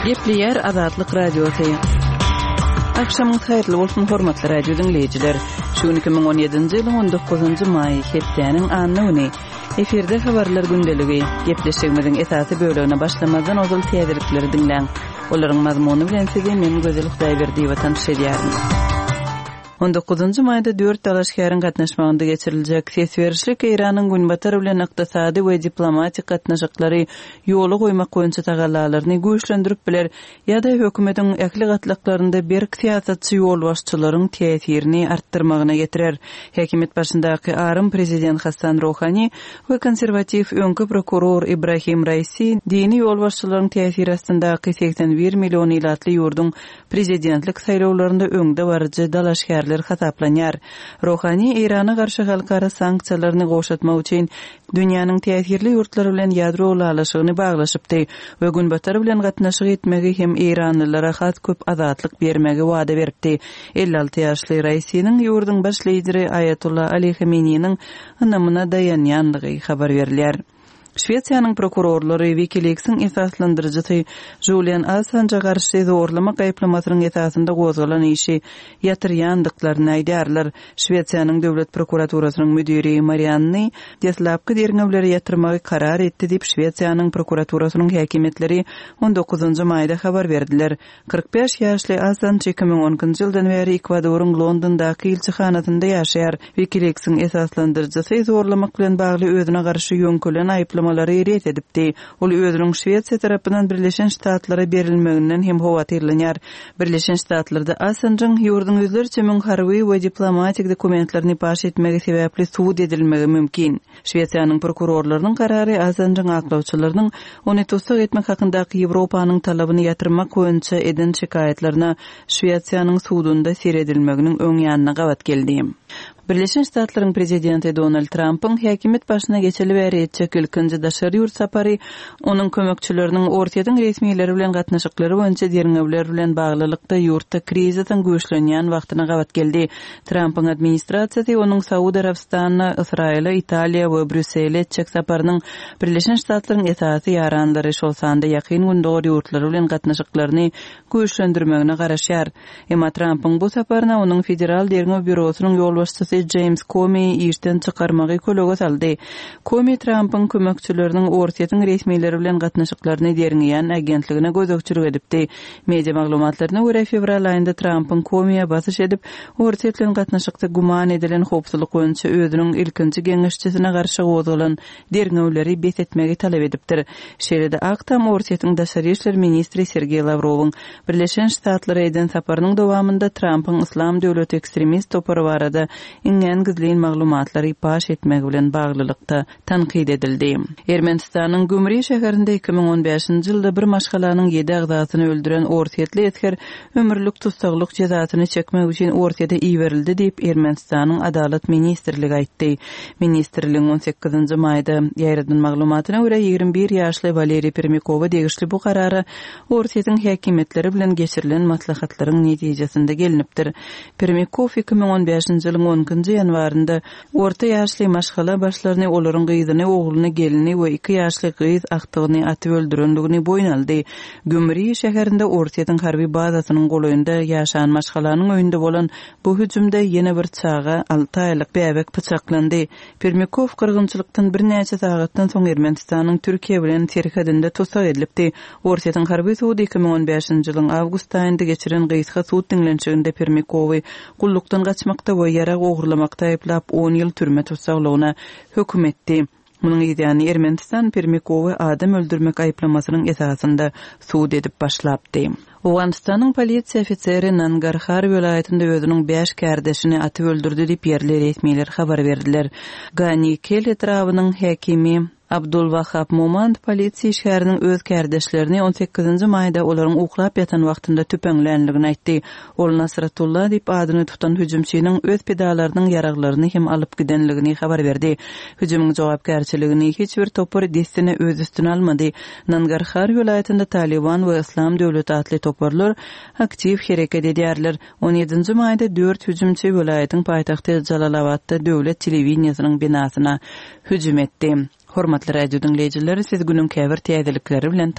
Gepleýär Azatlyk Radiosy. Agşamyňyz haýyrly bolsun, hormatly radio diňleýjiler. Şu gün 2017-nji ýylyň 19-njy maýy, hepdäniň anna güni. Efirde habarlar gündeligi. Gepleşigimiziň esasy bölegine başlamazdan ozal täzelikleri diňläň. Olaryň mazmuny bilen sizi men Gözel Hudaýberdiýewa tanyş edýärin. On dokuzynjy maýda dört dalaşgäriň gatnaşmagynda geçiriljek ses berişlik Eýranyň Günbatar bilen ykdysady we diplomatik gatnaşyklary ýola goýmak boýunça tagallalaryny güýçlendirip biler ýa-da hökümetiň ähli gatlaklarynda berk syýasatçy ýolbaşçylaryň täsirini artdyrmagyna getirer. Häkimiýet başyndaky arym prezident Hassan Rohani we konserwatiw öňki prokuror Ibrahim Raisi dini ýolbaşçylaryň täsiri astyndaky 81 million ilatly ýurduň prezidentlik saýlawlarynda öňdebaryjy dalaşgärler hasaplanýar. Rohani Eýrana garşy halkara sanksiýalaryny gowşatmak üçin dünýäniň täsirli ýurtlary bilen ýadro ylalaşygyny baglaşypdy we Günbatar bilen gatnaşyk etmegi hem eýranlylara has köp azatlyk bermegi wada beripdi. 56 ýaşly Raisiniň ýurduň baş lideri Aýatolla Ali Hameneýiniň ynamyna daýanýandygy habar berilýär. Şwesiýanyň prokurorlary WikiLeaks-iň esaslandyryjysy Julian Assanja garşy zorlamak aýyplamasynyň esasynda gozgalan işi ýatyrýandyklaryny aýdýarlar. Şwesiýanyň Döwlet prokuraturasynyň müdiri Marianny deslapky derňewleri ýatyrmagy karar etdi diýip, Şwesiýanyň prokuraturasynyň häkimiýetleri on dokuzynjy maýda habar berdiler. 45 ýaşly Assanj 2012-nji ýyldan bäri Ekwadoryň Londondaky ilçihanasynda ýaşaýar. WikiLeaks-iň esaslandyryjysy zorlamak bilen bagly özüne garşy ýöňkelen aýyplamalary ret edipdi. Ol özüniň Şwesiýa tarapyndan Birleşen Ştatlara berilmeginden hem howatyrlanýar. Birleşen Ştatlarda Assanjyň ýurduň ýüzlerçe müň harby we diplomatik dokumentlerini paş etmegi sebäpli sud edilmegi mümkin. Şwesiýanyň prokurorlarynyň karary Assanjyň aklawçylarynyň ony tussag etmek hakyndaky Ýewropanyň talabyny ýatyrmak boýunça eden şikaýatlaryna Şwesiýanyň sudunda seredilmeginiň öň ýanyna gabat geldi. Birleşen Ştatlaryň prezidenti Donald Trampyň häkimiýet başyna geçeli bäri etjek ilkinji daşary ýurt sapary onuň kömekçileriniň Orsýetiň resmileri bilen gatnaşyklary boýunça derňewler bilen baglylykda ýurtda krizisiň güýçlenýän wagtyna gabat geldi. Trampyň administrasiýasy onuň Saud Arabystanyna, Ysraýyla, Italiýa we Brýussele etjek saparynyň Birleşen Ştatlaryň esasy ýaranlary, şol sanda Ýakyn Gündogar ýurtlary bilen gatnaşyklaryny güýçlendirmegine garaşýar. Emma Trampyň bu saparyna onuň Federal derňew býurosynyň ýolbaşçysy Jeýms Komiýi işden çykarmagy kölege saldy. Komi Trampyň kömekçileriniň Orsýetiň resmileri bilen gatnaşyklaryny derňeýän agentligine gözegçilik edipdi. Media maglumatlaryna görä, fewral aýynda Trampyň Komiýa basyş edip, Orsýet bilen gatnaşykda güman edilen howpsuzlyk boýunça özüniň ilkinji geňeşçisine garşy gozgalan derňewleri bes etmegi talap edipdir. Şeýle-de Ak Tam Orsýetiň daşary işler ministri Sergeý Lawrowyň Birleşen Ştatlara eden saparynyň dowamynda Trampyň Yslam döwleti ekstremist topary barada iňňän gizlin maglumatlary paş etmegi bilen baglylykda tankyt edildi. Ermenistanyň Gümri şäherinde 2015-nji ýylda bir maşgalanyň ýedi agzasyny öldüren orsýetli esger ömürlik tussaglyk jezasyny çekmek üçin Orsýete iberildi diýip, Ermenistanyň Adalat ministrligi aýtdy. Ministrligiň on sekizinji maýda ýaýradan maglumatyna görä, 21 ýaşly Waleriý Permýakowa degişli bu karara Orsýetiň häkimiýetleri bilen geçirilen maslahatlaryň netijesinde gelnipdir. Permýakow 2015-nji ýylyň on ikinji ýanwarynda Orta ýaşly maşgala başlaryny, olaryň gyzyny, ogluny, gelnini we iki ýaşly gyz agtygyny atyp öldürendigini boýun aldy. Gümri şäherinde Orsýetiň harby bazasynyň golaýynda ýaşan maşgalanyň öýünde bolan bu hüjümde ýene bir çaga, alty aýlyk bäbek pyçaklandy. Permýakow gyrgynçylykdan birnäçe sagatdan soň Ermenistanyň Türkiýe bilen serhedinde tussag edilipdi. Orsýetiň harby sudy 2015-nji ýylyň awgust aýynda geçiren gysga sud diňlenişiginde Permýakowy gullukdan gaçmakda we ýarag ogurlamakda aýyplap, on ýyl türme tussaglygyna höküm etdi. Munuň yzýany Ermenistan Permikowy adam öldürmek aýyplamasynyň esasynda sud edip başlapdy. Owganystanyň polisiýa ofiseri Nangarhar welaýatynda özüniň bäş kärdeşini atyp öldürdi diýip, ýerli resmiler habar berdiler. Gani Kel etrabynyň häkimi. Abdul Wahab Momand polisiýa işgäriniň öz kärdeşlerini on sekizinji maýda olaryň uklap ýatan wagtynda tüpeňlänligini aýtdy. Ol Nasratullah diýip adyny tutan hüjümçiniň öz pidalarynyň ýaraglaryny hem alyp gidenligini habar berdi. Hüjümiň jogapkärçiligini hiç bir topar dessine öz üstüne almady. Nangarhar welaýatynda Talyban we Yslam döwleti atly toparlar aktiw hereket edýärler. On ýedinji maýda dört hüjümçi welaýatyň paýtagty Jalalabatda döwlet telewideniýesiniň binasyna hüjüm etdi. Hormatly radio diňleýjiler, siz günüň käbir täzelikleri bilen.